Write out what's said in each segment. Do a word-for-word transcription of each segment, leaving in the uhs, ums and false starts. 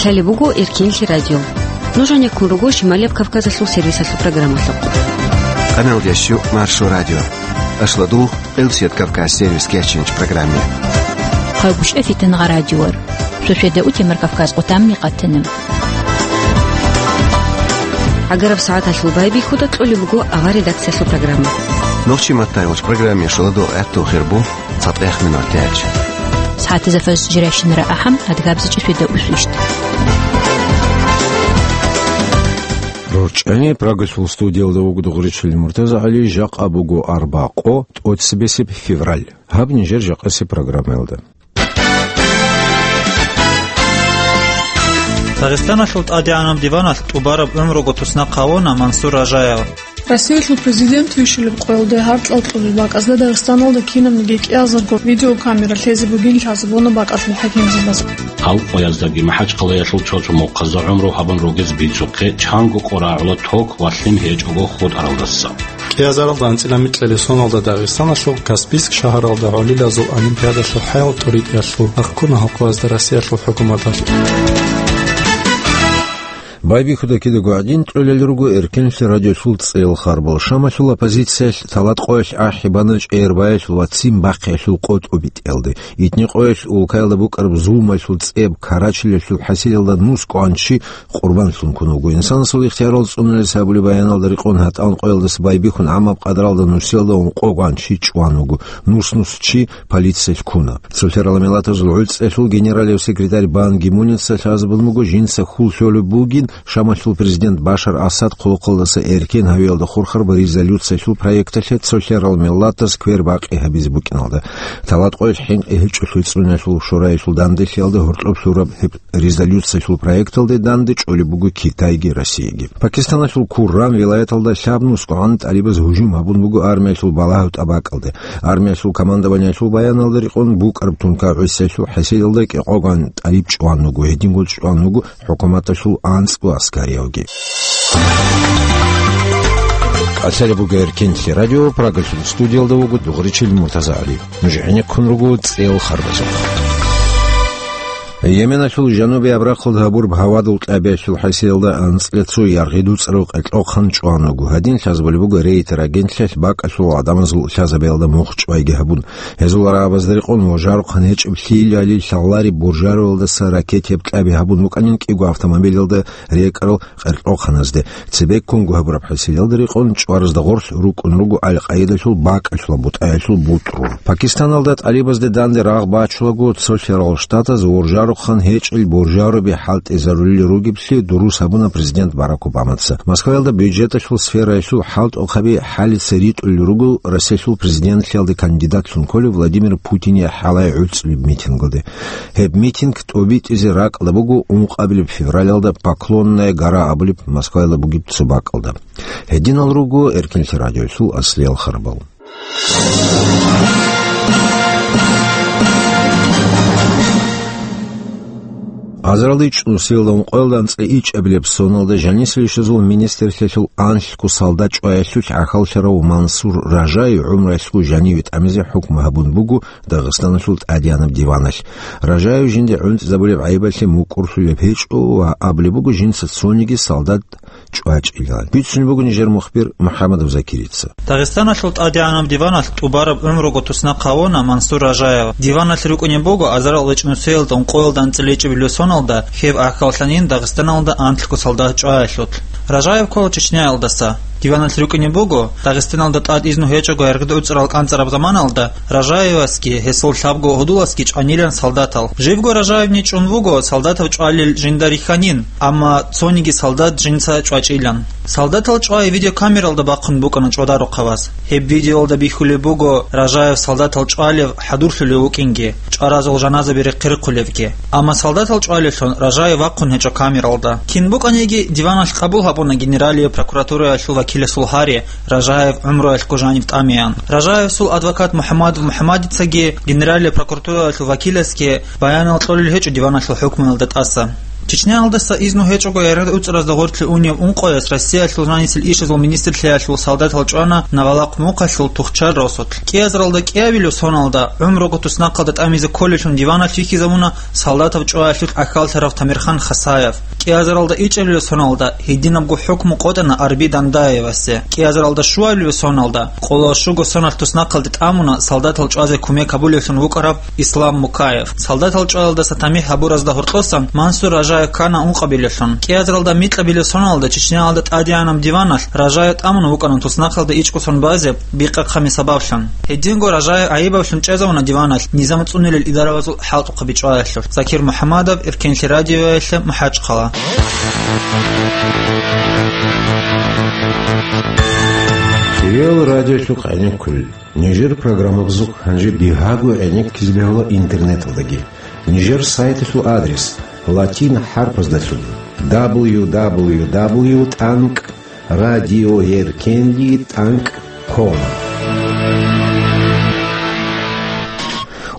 Гьале буго Эркенлъи радио. Нуж гьанеккун руго Шималияб Кавказалъул сервисалъул программалъухъ. Къаналдящу Маршо радио. Ашладул Элсият Кавказ сервис кечинч программе. Хъагушев Фитангъа радиор. Сосведа утемар Кавказ къотамни къатана. ГӀагараб сагӀаталъул байбихьуда кьолеб буго авар редакциялъул программа. Нохчи маттайгъуч программе шуладу гӀатту хирбу. ЦатӀех минут тяч. СагӀатазда фаз жирайщинара ахӀам, адгабзичӀи светда усвищт. РорчӀани Прагасул студиялда вуго Дугъричил Муртаза ГӀали, жакъа буго арбакъо, тӀоцебесеб февраль. Гьаб нижер жакъасеб программаялда. Дагъистаналъул тӀадегӀанаб диваналъ тӀубараб гӀумруго туснахъ гьавуна Мансур Ражаев. Россиялъул президент вищулеб къоялда гьаркьал кьолел бакӀазда Дагъистаналда кинабниги кӀиазарго видеокамера лъезе бугин лъазабуна бакӀалъул хӀакимзабаз. Гьал къояздаги МахӀачхъалаялъул цо-цо мухъазда гӀумру гьабун ругез бицухъе, чанго къо рагӀула ток ва лъим гьечӀого хутӀаралдаса. КӀиазаралда анцӀила микьалесоналда Дагъистаналъул Каспийск шагьаралда гӀолилазул олимпиадалъул хӀаял тӀуритӀиялъул ахкуна гьал къоязда Россиялъул хӀукуматалъ. Байбихьуда кидаго гӀадин кьолел руго Эркенлъи радиолъул цӀел харбал. Шамалъул оппозициялъ талат къоялъ ахӀи бана чӀегӀербаялъул ва ццин бахъиялъул къо тӀубитӀиялде. ИтӀни къоялъ улкаялда букӀараб зулмалъул цӀеб Карачилалъул хӀасилалда нус кӀванчи къурбанлъун ккун вуго. Инсанасул ихтиярал цӀунулес абулеб баяналда рекъон гьатӀан къоялдаса байбихьун гӀамаб къадралда нусиялда ункъо кӀванчи чӀван вуго. Нус-нус чи полициялъ ккуна. Цолъарал миллатазул гӀуцӀиялъул генералив секретарь Бан Ги Муница лъазабун буго, жинца хьул лъолеб бугин Шамалъул президент Башар Асад хъулухъалдаса эркен гьавиялда хурхараб резолюциялъул проекталъе цолъарал миллатаз квер бакъи гьабизе букӀиналда. Талат къоялъ хӀинкъи гьечӀолъи цӀуналъул шураялъул данделъиялда гьоркьоб лъураб гьеб резолюциялъул проекталде данде чӀолеб буго Китайги Россияги. Пакистаналъул Курран вилаяталда лъабнус къван тӀалибаз гьужум гьабун буго армиялъул балагьав тӀабакӀалде. Армиялъул командованиялъул баяналда рекъон букӀараб тункагӀусиялъул хӀасилалда кӀикъоган тӀалиб чӀван вуго, гьединго чӀван вуго хӀукуматалъул анцӀго аскариявги. КӀалъалеб буго Эркенлъи радио, Прагалъул студиялда вуго Дугъричил Муртаза ГӀали. Нуж гӀенеккун руго цӀел харбазухъ. Йеменалъул жанубияб рахъалда гьабураб гьавадул кьабиялъул хӀасиялда анцӀила цо яргъи дуцӀарав къеркьохъан чӀван вуго. Гьадин лъазабулеб буго Рейтер агентлъиялъ бакӀалъул гӀадамазул лъазабиялда мухь чӀвайги гьабун. Гьезул рагӀабазда рекъон ва жарухъан гьечӀеб лъилали лъалари буржаруялдаса ракетияб кьаби гьабун букӀанин кӀиго автомобилялда рекӀарал къеркьохъаназде. Цебеккунго гьабураб хӀасилалда рекъон чӀваразда гъорлъ рукӀун руго Аль-Къаидалъул бакӀалъула бутӀаялъул бутӀрул. Пакистаналда тӀалибазде данде рагъ бачулаго, цолъарал штатаз уржарухъан гьечӀел буржаруби хӀалтӀизарулел ругеблъи дурус гьабуна президент Барак Обамаца. Москваялда бюджеталъул сфераялъул хӀалтӀухъаби хӀалица ритӀулел руго Россиялъул президентлъиялде кандидатлъун кколев Владимир Путине хӀалай гӀуцӀулеб митингалде. Гьеб митинг тӀобитӀизе ракӀалда буго ункъабилеб февралалда Поклонная гора абулеб Москваялда бугеб цо бакӀалда. Гьединал руго Эркинлъи радиоялъул аслиял харбал. Азаралда ичӀнусиялда ункъоялда анцӀила ичӀабилеб соналда жанисел ишазул министрлъиялъул анлъго солдат чӀваялъулъ гӀахьаллъарав Мансур Ражаев гӀумруялъго жаниве тӀамизе хӀукму гьабун буго Дагъистаналъул тӀадегӀанаб диваналъ. Ражаев жинда гӀунтӀизабулеб гӀайибалъе мукӀурлъулеб гьечӀо ва абулеб буго жинца цониги солдат чӀвачӀила. Бицунеб буго нижер мухбир МухӀаммадов Закирица. Дагъистаналъул тӀадегӀанаб диваналъ тӀубараб гӀумруго туснахъ гьавуна Мансур Ражаев. Диваналъ рукӀунеб буго азарал ичӀнусиялда ункъоялда анцӀила ичӀабилеб соналда гьеб гӀахьаллъанин Дагъистаналда анлъго солдат чӀваялъулъ. Ражаев ккола Чечняялдаса. Диваналъ рукӀунеб буго, Дагъистаналда тӀад изну гьечӀого яргъи дуцӀарал кӀанцӀараб заманалда Ражаевасги гьесул лъабго гьудуласги чӀванилан солдатал. Живго Ражаевни чӀун вуго солдатав чӀвалел жинда рихьанин, амма цониги солдат жинца чӀвачӀилан. Солдатал чӀвай видеокамералда бахъун букӀана чӀвадарухъаваз. Гьеб видеоялда бихьулеб буго Ражаев солдатал чӀвалев хӀадурлъулев вукӀинги, чӀваразул жаназаби рехъ-рехъулевги. Амма солдатал чӀвалевлъун Ражаев вахъун гьечӀо камералда. Кин букӀаниги, диваналъ къабул гьабуна Генералияб прокуратураялъул вакиласул гьари, Ражаев гӀумруялъго жанив тӀамеян. Ражаевсул адвокат МухӀаммадов МухӀаммадицаги Генералияб прокуратураялъул вакиласги баянал кьолел гьечӀо диваналъул хӀукмуялда тӀаса. Чечняялдаса изну гьечӀого яргъи уцӀразда гъорлъе унев ункъояс Россиялъул жанисел ишазул министрлъиялъул солдатал чӀвана Навалахъ мухъалъул Тухчар росулъ. КӀиазаралда кӀиабилев соналда гӀумруго туснахъалда тӀамизе кколелъун диваналъ вихьизабуна солдатав чӀваялъулъ ахьалтарав Тамирхан Хасаев. КӀиазаралда ичӀабилев соналда гьединабго хӀукму къотӀана Арби Дандаевасе. КӀиазаралда щуабилев соналда къоло щуго соналъ туснахъалде тӀамуна солдатал чӀвазе кумек гьабулевлъун вукӀараб Ислам Мукаев. Солдатал чӀваялдаса тамихӀ гьабуразда гьоркьосан Мансур Ражаев ккана ункъабилевлъун. КӀиазаралда микьабилев соналда Чечняялда тӀадегӀанаб диваналъ Ражаев тӀамун вукӀана туснахъалда ичӀго сон базе бикъахъами сабаблъун. Гьединго Ражаев гӀайибавлъун чӀезавуна диваналъ низам цӀунилел идаравазул хӀалтӀухъаби чӀваялъулъ. Закир МухӀаммадов, Эркен телерадиоялъе, МахӀачхъала. Кирил радиолъухъ гӀенеккулел. Нижер программабазухъ гьанже бигьаго гӀенеккизе бегьула интернеталдаги. Нижер сайталъул адрес: латин хӀарпаздалъун: дабл ю дабл ю дабл ю тӀанкӀ радиоеркенли тӀанкӀ ком.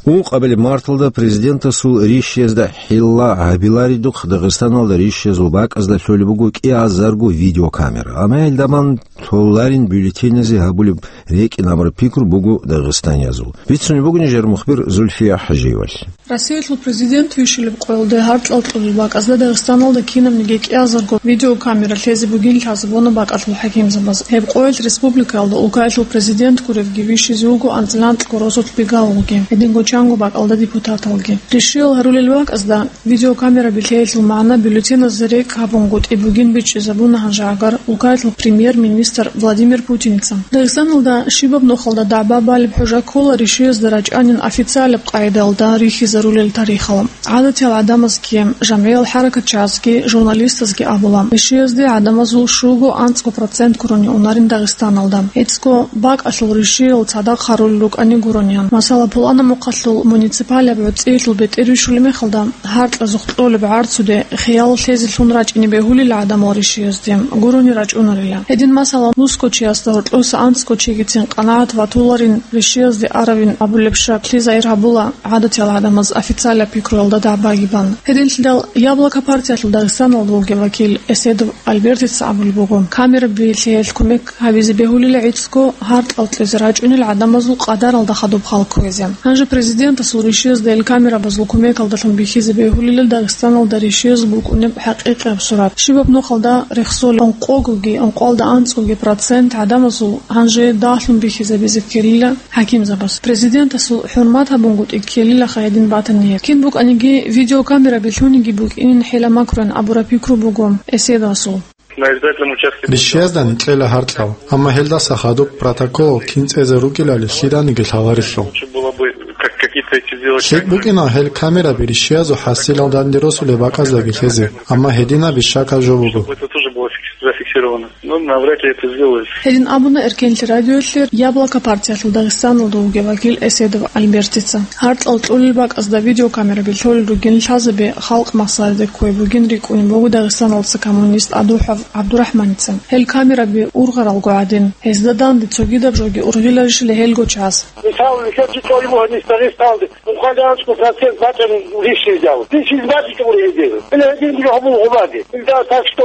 Ункъабилеб марталда президентасул ришиязда хӀилла гьабиларидухъ Дагъистаналда ришиязул бакӀазда лъолеб буго кӀиазарго видеокамера. Амма гьелдаман толарин бюллетеназе гьабулеб рекӀин абураб пикру буго дагъистаниязул. Бицунеб буго нижер мухбир Зульфия ХӀажиевалъ. Россиялъул президент вищулеб къоялде гьарцӀал кьолеб бакӀазда Дагъистаналда кинабниги кӀиазарго видеокамера лъезе бугин лъазабуна бакӀалъул хӀакимзабаз. Гьеб къоялъ республикаялда улкаялъул президент гуревги вищизе вуго анцӀила анцӀго росулъ бигьалги, гьединго чанго бакӀалда депутаталги. Ришиял гьарулел бакӀазда видеокамераби лъеялъул магӀна бюллетеназда рекӀкӀ гьабунгутӀи бугин бичӀчӀизабуна гьанжегӀагар улкаялъул премьер-министр Владимир Путиница. Дагъистаналда щибаб нухалда дагӀба балеб хӀужа ккола ришиязда рачӀанин официалаб къагӀидаялда рихьизарулел тарихалъ. ГӀадатиял гӀадамазги, жамгӀиял хӀаракатчагӀазги, журналистазги абула, ришиязде гӀадамазул щуго анцӀго процент гурони унарин Дагъистаналда. ГӀицӀго бакӀалъул ришиял цадахъ гьарулел рукӀани гурони. Масала, пуланаб мухъалъул муниципалияб гӀуцӀиялъул бетӀер вищулеб мехалда, гьаркьазухъ кьолеб гӀарцуде хиял лъезе лъун рачӀине бегьулила гӀадамал ришиязде, гурони рачӀунарила. Гьедин, масала, нусго чиясда гьоркьоса анцӀго чигицин къанагӀат ватуларин ришиязде аравин абулеб шаклъи загьир гьабула гӀадатиял гӀадамаз официалаб пикруялда дагӀбаги бан. Гьединлъидал Яблоко партиялъул Дагъистаналда вугев вакил Эседов Альбертица абулеб буго, камераби лъеялъ кумек гьабизе бегьулила гӀицӀго гьаркьал кьезе рачӀунел гӀадамазул къадаралда хадуб хал кквезе. Гьанже президентасул ришиязда ил камерабазул кумекалдалъун бихьизе бегьулила Дагъистаналда ришиязул букӀунеб хӀакъикъияб сурат. Щибаб нухалда рехсолеб ункъогоги ункъоялда анцӀгоги процент гӀадамазул гьанже дагьлъун бихьизабизе ккелила хӀакимзабаз. Президентасул хӀурмат гьабунгутӀи ккелилаха гьедин батани гьеб. Кин букӀаниги, видеокамераби лъуниги букӀинин хӀела макруян абураб пикру буго Эседовасул. На избирательном участке. Ришиязда нилъела гьаркьал, амма гьелдаса хадуб протокол кин цӀезе рукӀилали лъиданиги лъаларелъул. Лучше было бы как-, какие-то эти сделать. ЛъикӀ букӀина гьел камераби ришиязул хӀасилал данде росулеб бакӀаздаги лъезе, амма гьединаби щакал жо буго. Чтобы это тоже было фикс-, зафиксировано. Ну, навряд ли это сделают. Гьедин абуна Эркенлъи радиоялъе Яблоко партиялъул Дагъистаналда вугев вакил Эседов Альбертица. Гьаркьал кьолел бакӀазда видеокамераби лъолел ругин лъазабе халкъ махсараде кквей бугин рикӀкӀунеб буго Дагъистаналдаса коммунист АдухӀав ГӀабдурахӀманица. Гьел камераби ургъаралго гӀадин, гьезда данде цогидаб жоги ургъиларищали гьелго час. Мисал, нилъер чи кьолеб буго гьанис Дагъистаналде. Мухъаланчго процент бачӀарун рищиздал. Рищиз бачӀичӀого гьезие. Гьеле гьедин гьабун гъубазе. Илда так что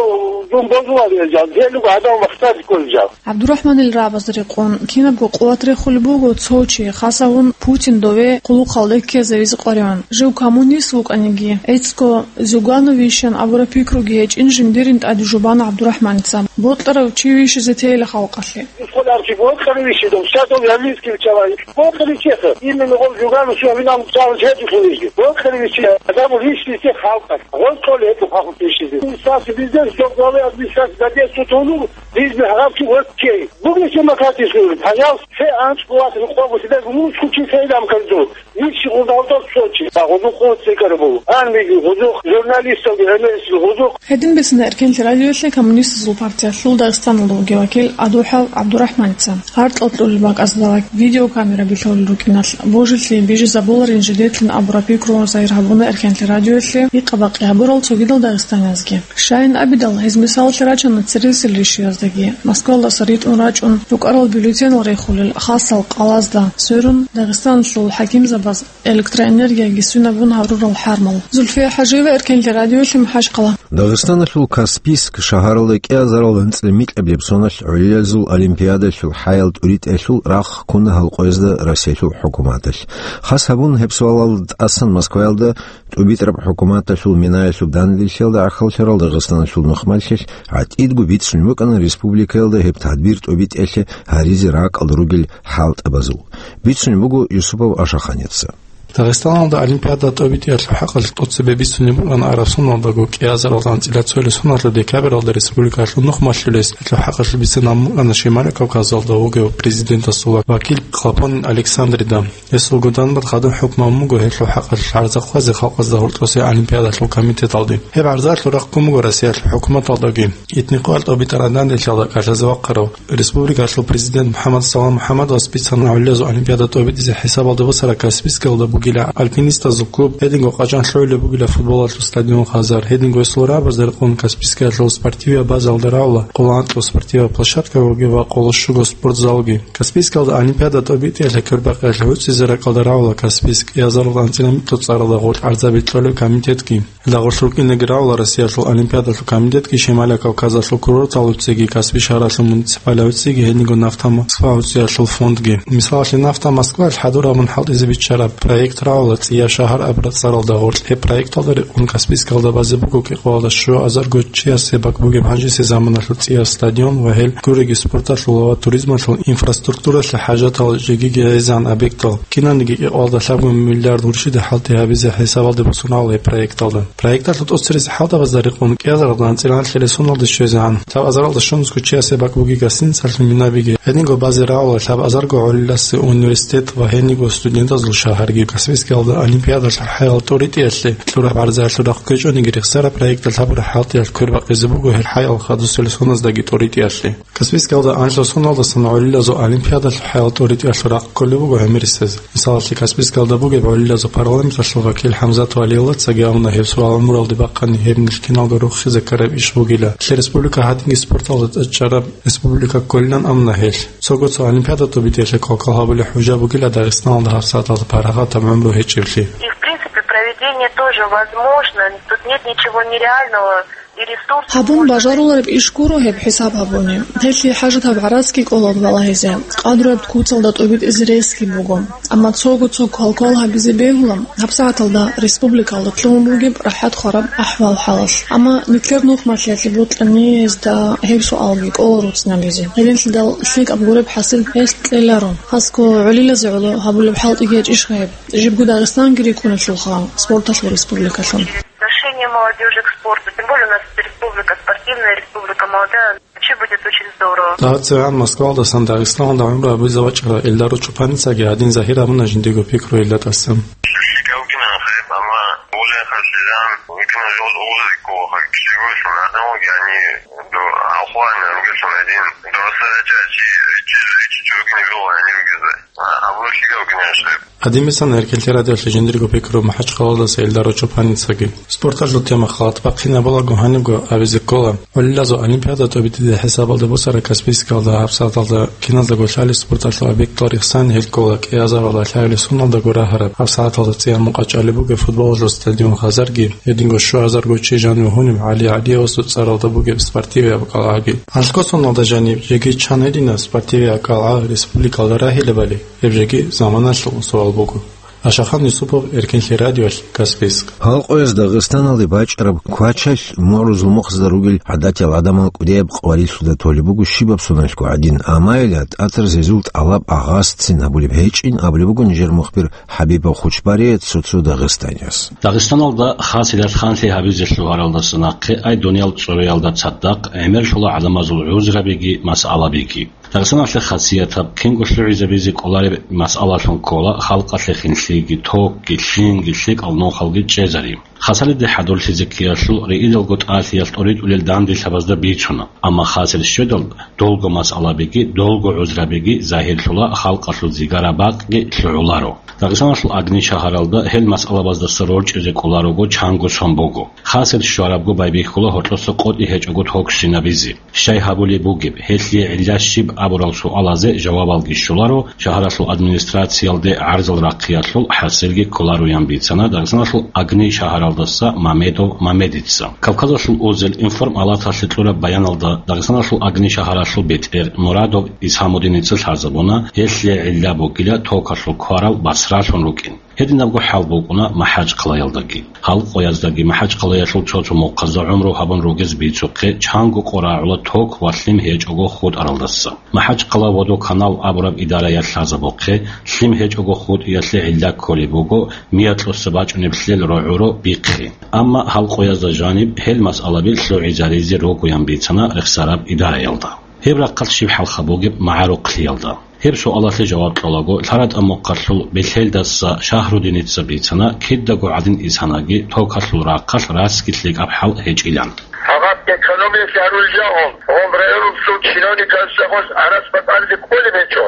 дун бозулал гьезал. Гьелуго гьадав махсади кколел жал. ГӀабдурахӀманил рагӀабаз рекъон, кинабго къуват рехулеб буго цо чи, хасавун Путин дове хъулухъалде ккезавизе къваригӀун. Жив коммунист вукӀаниги, гӀицӀго Зюгановищан абураб пикруги гьечӀин жиндирин тӀаде жубана ГӀабдурахӀманица. Бокьарав чи вищизе тейила халкъалъе. Сколько архив, вот, короче, дом, сейчас он армейский человек. Вот, короче, это. Именно он Зюганов, всё, винам, сам же эту хилиги. Вот, короче, а там вещи всех халков. Вот, что ли, эту хаху пишет. Администрация, везде, всё, главы администрации, за десять тонн, здесь бы арабский, вот, чей. Бугли все макати служит, пожалуйста, все анчкулаты, ну, кого себя, ну, скучи, все там, как тут. Вещи, вот, вот, вот, что, чей. А, вот, ну, вот, все, как бы. Армии, вот, ну, журналистов, журналистов, вот, ну, Гьедин бицана Эркенлъи радиоялъе Коммунистазул партиялъул Дагъистаналда вугев вакил АдухӀав ГӀабдурахӀманица. Гьаркьал кьолел бакӀазда видеокамераби лъолел рукӀиналъ, божилъи бижизабуларин жидетлъун абураб пикру загьир гьабуна Эркенлъи радиоялъе гьикъа-бакъи гьабурал цогидал дагъистаниязги. Щайин абидал, гьез мисалалъе рачана цересел ришияздаги, Москвалдаса ритӀун рачӀун, рукӀарал бюллетенал рехулел хасал къалазда сверун, Дагъистаналъул хӀакимзабаз электроэнергияги свинабун гьарурал хӀармал. Зульфия ХӀажиева, Эркенлъи радиолъи, МахӀачхъала. Дагъистаналъул Каспийск шагьаралда кӀиазарал анцӀила микьабилеб соналъ гӀолилазул олимпиадалъул хӀаял тӀуритӀиялъул рахъ ккуна гьал къоязда Россиялъул хӀукуматалъ. Хас гьабун гьеб суалалда тӀасан Москваялда ТӀубитӀараб хӀукуматалъул минаялъул данделъиялда гӀахьаллъарал Дагъистаналъул нухмалъилъ гӀатӀидго бицунеб букӀана республикаялда гьеб тадбир тӀубитӀиялъе гьаризе ракӀалда ругел хӀалтӀабазул. Бицунеб буго Юсупов Ашаханица. Дагъистаналда олимпиада тӀубитӀиялъул хӀакъалъулъ тӀоцебе бицунеб букӀана араб соналдаго кӀиазарал анцӀила цоялъул соналъул декабралда республикалъул нухмалъулес гьелъул хӀакъалъулъ бицунеб букӀана Шималияб Кавказалда вугев президентасул вакил Хлопонин Александрида. Гьесул гудан бахъ гьадин хӀукму гьабун буго гьелъул хӀакъалъулъ гӀарза хъвазе халкъазда гьоркьосе олимпиадалъул комитеталде. Гьеб гӀарзаялъул рахъ ккун буго Россиялъул хӀукуматалдаги. Итни къоялъ тӀубитӀараб данделъиялда кӀалъазе вахъарав республикалъул президент МухӀаммад Салам МухӀаммадовас бицана гӀолилазул олимпиада тӀубитӀизе хӀисабалде босараб Каспийскиялда бугила альпинистазул клуб, гьединго къачӀан лъугӀулеб бугила футболалъул стадион «Хазар», гьединго гьесул рагӀабазда рекъон Каспийскиялъул спортивияб базаялда рагӀула къоло анкьго спортиваб площадка ва гьеб къоло щуго спортзалги. Каспийскиялда олимпиада тӀубитӀиялъе квербакъиялъе гӀуцӀизе ракӀалда рагӀула Каспийск кӀиазарал анцӀила микьго цӀаралда гъоркь гӀарза битӀулеб комитетги. Гьелда гъорлъ рукӀинеги рагӀула Россиялъул олимпиадалъул комитетги, Шималияб Кавказалъул курортал гӀуцӀиги, Каспий шагьаралъул муниципалияб гӀуцӀиги, гьединго «Нафта Москва» гӀуцӀиялъул фондги. Мисалалъе, «Нафта Москваялъ» хӀадур гьабун хӀалтӀизе биччараб проект рагӀула «ЦӀияб шагьар» абураб цӀаралда гъоркь. Гьеб проекталда рекъон Каспийскиялда базе буго кӀикъоялда щуазарго чиясе бакӀ бугеб гьанжеси заманалъул цӀияб стадион ва гьел гуреги спорталъул ва туризмалъул инфраструктуралъе хӀажатал жегиги гӀезегӀан объектал. Киналниги кӀикъоялда лъабго миллиард гурщида хӀалтӀи гьабизе хӀисабалде босун рагӀула гьеб проекталда. Проекталъул тӀоцеризе хӀалтӀабазда рекъон кӀиазаралда анцӀила анлъила соналде щвезегӀан лъабазаралда щунусго чиясе бакӀ бугеб гостиницалъул минабиги, гьединго базе рагӀула лъабазарго гӀолиласе университет ва гьениго студентазул шагьарги. Каспийскиялда олимпиадалъул хӀаял тӀуритӀиялъе кьураб гӀарзаялъул рахъ ккечӀониги рехсараб проекталъ гьабураб хӀалтӀиялъ квербакъизе буго гьел хӀаял хадусел соназдеги тӀуритӀиялъе. Каспийскиялда анлъго соналдасан гӀолилазул олимпиадалъул хӀаял тӀуритӀиялъул рахъ кколеб буго гӀемерисез. Мисалалъе, Каспийскиялда бугеб гӀолилазул парламенталъул вакил ХӀамзат Валиевлъацаги абуна гьеб суал гьаруралде бахъани, гьеб нилъ киналго рохизе ккараб иш бугила. Нилъер республика гьадинги спорталда тӀадчӀараб республика кколилан абуна гьелъ. Цого цо олимпиада тӀубитӀиялъе квалквал гьабулеб хӀужа бугила Дагъистаналда гьабсагӀаталда парагъатаб гӀумру гьечӀеблъи. И, в принципе, проведение тоже возможно. Тут нет ничего нереального. Гьабун бажарулареб иш гуро гьеб хӀисаб гьабуни. Гьелъие хӀажатаб гӀарацги кӀолаб балагьизе, къадру гьеб куцалда тӀубитӀизе ресги буго. Амма цого-цо квалквал гьабизе бегьула гьабсагӀаталда республикалда лъугьун бугеб рахӀат хвараб ахӀвал-хӀалалъ. Амма нилъер нухмалъиялъе бокьани гьезда гьеб суалги кӀола руцӀцӀинабизе. Гьединлъидал лъикӀаб гуреб хӀасил гьелъ кьеларо. Хасго гӀолилазе гӀоло гьабулеб хӀалтӀиги гьечӀищха гьеб? Жибго Дагъистанги рикӀкӀуналъулха спорталъул республикалъун. Отношение молодежи к спорту. Тем более у нас республика спортивная, республика молодая. Вообще будет очень здорово. ДагӀацевгӀан Москвалдасан Дагъистаналда гӀумру гьабизе вачӀарав Эльдар Чупаницаги гьадин загьир абуна жиндиего пикру гьелда тӀасан. Гьадин бицана Эркенлъи радиоялъе жиндирго пикру МахӀачхъалаялдаса Эльдар Чупаницаги. Спорталъул тема халат бахъинабулаго гьанибго абизе ккола. ГӀолилазул олимпиада тӀубитӀизе хӀисабалде босараб Каспийскиялда гьабсагӀаталда киназдаго лъалеб спорталъул объектал рехсани гьел ккола кӀиазаралда лъагӀел соналдаго рагьараб. ГьабсагӀаталда цӀияб мукъа чӀвалеб бугеб футболалъул стадион «Хазарги», гьединго щуазарго чи жанив гьуниб ГӀали ГӀалиевасул цӀаралда бугеб спортивияб кӀалгӀаги. Анлъго соналда жаниб жеги чан гьединаб спортивияб кӀалгӀа республикалда рагьилебали? Гьеб жеги заманалъул суал буго. Ашахан Юсупов, Эркенлъи радиоялъ, Каспийск. Гьал къояз Дагъистаналде бачӀараб квачалъ мугӀрузул мухъазда ругел гӀадатиял гӀадамал кӀудияб къварилъуда толеб буго щибаб соналъго гӀадин, амма гьелда тӀатаз гьезул тӀалаб агъазцин гьабулеб гьечӀин абулеб буго нижер мухбир ХӀабибов Хучбарие цо-цо дагъистанияс. Дагъистаналда хасилат ханлъи гьабизе лъугьаралдаса нахъе ай дуниял цӀуриялда цадахъ гӀемерлъула гӀадамазул гӀузрабиги масъалабиги. Дагъистаналъе хасиятаб, кинго лъугӀизабизе кӀолареб масъалалъун ккола халкъалъе хинлъиги, токги, лъимги, лъикӀал нухалги чӀезари. Хасалиде хӀадурлъизе ккеялъул рейидалго тӀалъиялъ тӀоритӀулел данделъабазда бицуна, амма хасел щведал долго масъалабиги, долго гӀузрабиги загьирлъула халкъалъул зигара бакъги лъугӀуларо. Дагъистаналъул агни шагьаралда гьел масъалабаздаса рорчӀизе кӀоларого чанго сон буго. Хасел щварабго байбихьула гьоркьоса къотӀи гьечӀого ток щинабизе. Щай гьабулеб бугеб, гьелъие гӀилла щиб абурал суалазе жавабалги щоларо, шагьаралъул администрациялде гӀарзал рахъиялъул хӀасилги кколароян бицана Дагъистаналъул агни шагьаралдаса Мамедов Мамедица. Кавказалъул узел информалаталъе кьураб баяналда Дагъистаналъул агни шагьаралъул бетӀер Мурадов Исхамудиница лъазабуна, гьелъие гӀилла бугила токалъул кварал басралъун рукӀин. Гьединабго хӀал букӀуна МахӀачхъалаялдаги. Гьалкъояздаги МахӀачхъалаялъул цо-цо мухъазда гӀумру гьабун ругез бицухъе чанго къо рагӀула ток ва лъим гьечӀого хутӀаралдаса. МахӀачхъала водоканал абураб идараялъ лъазабухъе, лъим гьечӀого хутӀиялъе гӀилла кколеб буго миякьуса бачӀунеб лъел рогӀуро бихъи. Амма гьалкъоязда жаниб гьел масъалаби лъугӀизаризе ругоян бицана рехсараб идараялда. Гьеб рахъалъ щиб хӀалха бугеб магӀарухълъиялда? Гьеб суалалъе жаваб кьолаго, лъаратӀа мухъалъул Белъелдаса Шагьрудиница бицана, кидаго гӀадин исанаги, токалъул рахъалъ расги лъикӀаб хӀал гьечӀилан. Факъат экономия лъарулел жагьун, гьун районалъул чиновниказ гьес гӀарас бакӀалде кколеб гьечӀо.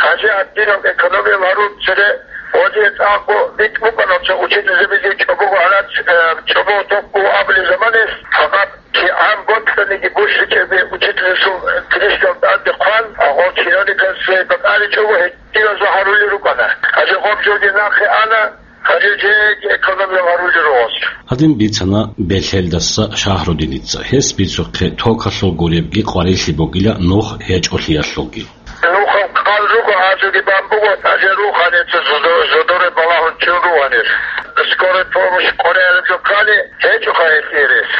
Гьанже гьадинаб экономия лъарул цере гьезие цӀакъго битӀ букӀана цо учительзабизе чӀобого гӀарац, э, чӀобого ток буго абулеб заманаялъ, факъат КигӀан боцӀаниги бушичӀебе учительасул книжкал тӀаде хъван, гьев чиновникас цебе бакӀаличӀого гьединазда гьарулел рукӀана. Гьанже гъоб жоги нахъе ана, гьанже жеги экономия гьарулел ругос. Гьадин бицана Белъелдаса Шагьрудиница. Гьес бицухъе токалъул гуребги къварилъи бугила нух гьечӀолъиялъулги. Нухал хъал руго, гьазулги бан буго, гьанже руханеца зодо-, зодоре балагьун чун ругьанир. Скорая помощь къваригӀараб жо ккани, гьечӀоха гьелъие рес.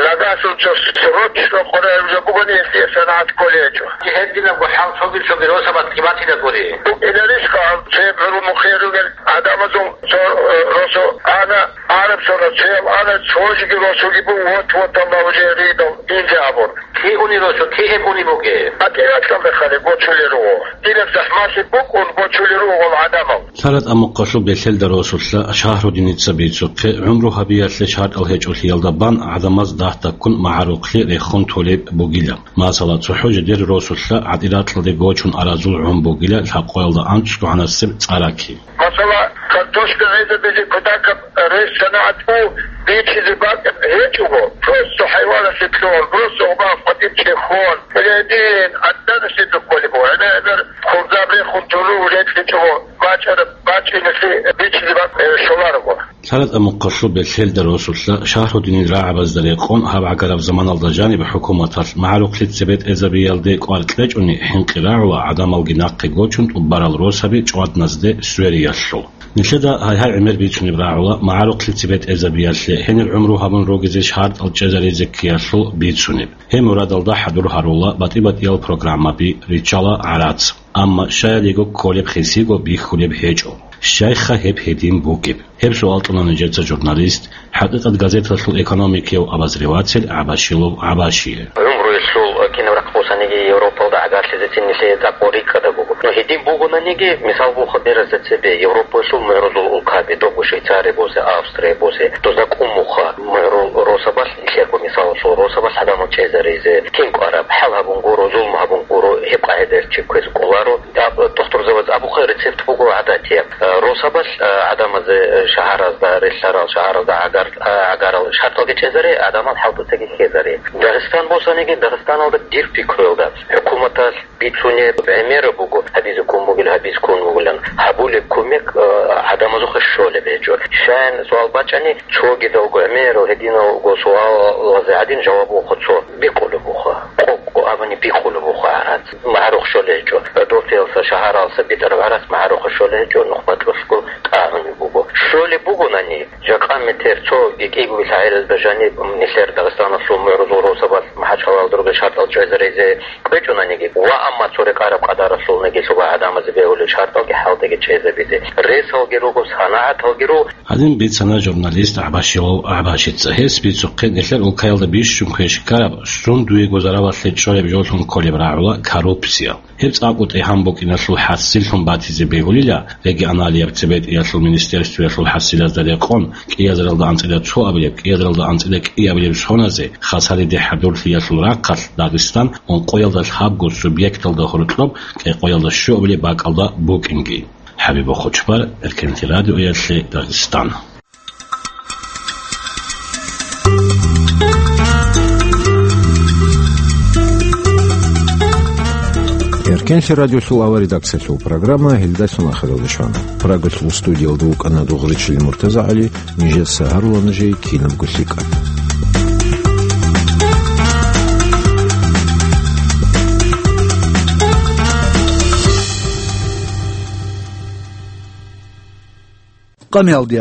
Нагагьлъун цо срочно къваригӀараб жо бугони, гьелъие санагӀат кколей гьечӀо. Гьединабго хӀал цоги-цоги росабаз лъиматила гури. БукӀинарищха гьаб цебе гӀурумухъе ругел гӀадамазул цо, э, росу ана, араб цо росу, цоял ана, цо жеги росуги бу, вот-вот, Аллагь, уже ридал, инже абур. Кигье уни росу, кигьеб уни бугеб? АтӀирахъалда хъали бочулел руго. Дираб захӀмалъи букӀун бочулел руго гъол гӀадамал. ЛъаратӀа мухъалъул Белъелда росулъа Шагьрудиница бицухъе гӀумру гьабиялъе шартӀал гьечӀолъиялда бан гӀадамаз дагь-дагьккун магӀарухълъи рехун толеб бугила. Масала, цохӀо жидер росулъа гӀатӀирахъалде гочун аразул гӀун бугила лъабкъоялда анцӀго гьанасеб цӀараки. Масала, картошка гӀезабизе кутакаб рес санагӀат у бичизе бакӀ гьечӀого, просто хӀайваналъе лъугьун, просто гъубан къватӀиб чехьон, гьедин, гӀаднаналъе бихъулеб буго, гӀемер-гӀемер хурзаб рехун туру рекьичӀого, бачӀараб бачӀиналъе бичизе бакӀ, э, щоларого. ЛъаратӀа мухъалъул Белъелда росулъа Шагьрудинил рагӀабазда рекъон гьаб гӀагараб заманалда жаниб хӀукуматалъ магӀарухълъи цебетӀезабиялде кӀвар кьечӀони хӀинкъи рагӀула гӀадамалги нахъе гочун тӀубарал росаби чӀвадназде свериялъул. Нилъеда гьай-гьай гӀемер бицунеб рагӀула магӀарухълъи цебетӀезабиялъе гьенир гӀумру гьабун ругезе шартӀал чӀезаризе ккеялъул бицунеб. Гьеб мурадалда хӀадур гьарула батӀи-батӀиял программаби, риччала гӀарац. Амма щаялиго кколеб хисиго бихьулеб гьечӀо. Щайха гьеб гьедин бугеб? Гьеб суал кьуна нижеца журналист, ХӀакъикъат газеталъул экономикияв обозреватель ГӀабашилов ГӀабашие. ГӀумруялъул кинаб рахъ босаниги Европалда гӀагарлъизецин нилъее цӀакъго рикӀкӀадаб буго. Ну, гьедин бугонаниги, мисал буха беразда цебе, Европаялъул мугӀрузул улкаби, доб Швейцария босе, Австрия босе, дозда кӀумуха мугӀрул росабалъ, нилъерго мисалалъул росабалъ гӀадамал чӀезаризе, кин кӀвараб, хӀал гьабун гуро, зулм гьабун гуро, гьеб къагӀидаялъ чи кквезе кӀоларо. Аб-, тухтурзабаз абухъе рецепт буго гӀадатияб. Э, росабалъ, э, гӀадамазе, э, шагьаразда, релълъарал шагьаразда гӀагар-, э, гӀагарал шартӀалги чӀезаре, гӀадамал хӀалтӀуцаги хьезаре. Дагъистан босаниги, Дагъистаналда дир пикруялда, хӀукуматалъ бицунеб гӀемераб буго, гьабизе ккун бугел, гьабизе ккун бугилан. Гьабулеб кумек, э, гӀадамазухъе щолеб гьечӀо. Щаян суал бачӀани, цогидалго гӀемерал гьединалго суалазе гӀадин жаваб вохо цо, бикъулеб вохо. Къо-къо абуни бикъулеб вохо гӀарац. МагӀарухъ щолеб гьечӀо. Дортиялса, шагьаралса битӀараб гӀарац магӀарухъ щолеб гьечӀо, нухбатӀлъулъго тӀагӀунеб буго. Щолеб бугонани, жакъа метер цо кӀиго-кӀиго лъагӀелазда жаниб нилъер Дагъистаналъул мугӀрузул росабалъ Гьалал дурги шартӀал чӀезаризе кьечӀонаниги ва амма цо рекъараб къадаралъулниги лъугьа гӀадамазе бегьулел шартӀалги хӀалтӀиги чӀезабизе. Ресалги руго, санагӀаталги руго. Гьадин бицана журналист ГӀабашилов ГӀабашица. Гьес бицухъе нилъер улкаялда бищун квеш ккараб, щун дуего заралалъе чӀолеб жоллъун кколеб рагӀула коррупция. Гьеб цӀакъ тӀегьан букӀиналъул хӀасиллъун батизе бегьулила, регионалияб цебетӀиялъул министерствоялъул хӀасилазда рекъон, кӀиазаралда анцӀила цо абилеб, кӀиазаралда анцӀила кӀиабилеб соназе, хасалиде хӀадурлъиялъул рахъалъ Дагъистан ункъоялда лъабго субъекталда гьоркьоб кӀикъоялда щуабилеб бакӀалда букӀинги. ХӀабиб Хучбар, Эркенлъи радиоялъе, Дагъистан. Эркенлъи радиосул авал редакциялъул программа гьелдалъун ахиралде щвана. Прагалъул студиялда вукӀана Дугъричил МуртазагӀали, нижеца гьарула нужее кинабго лъикӀаб. Къамиялде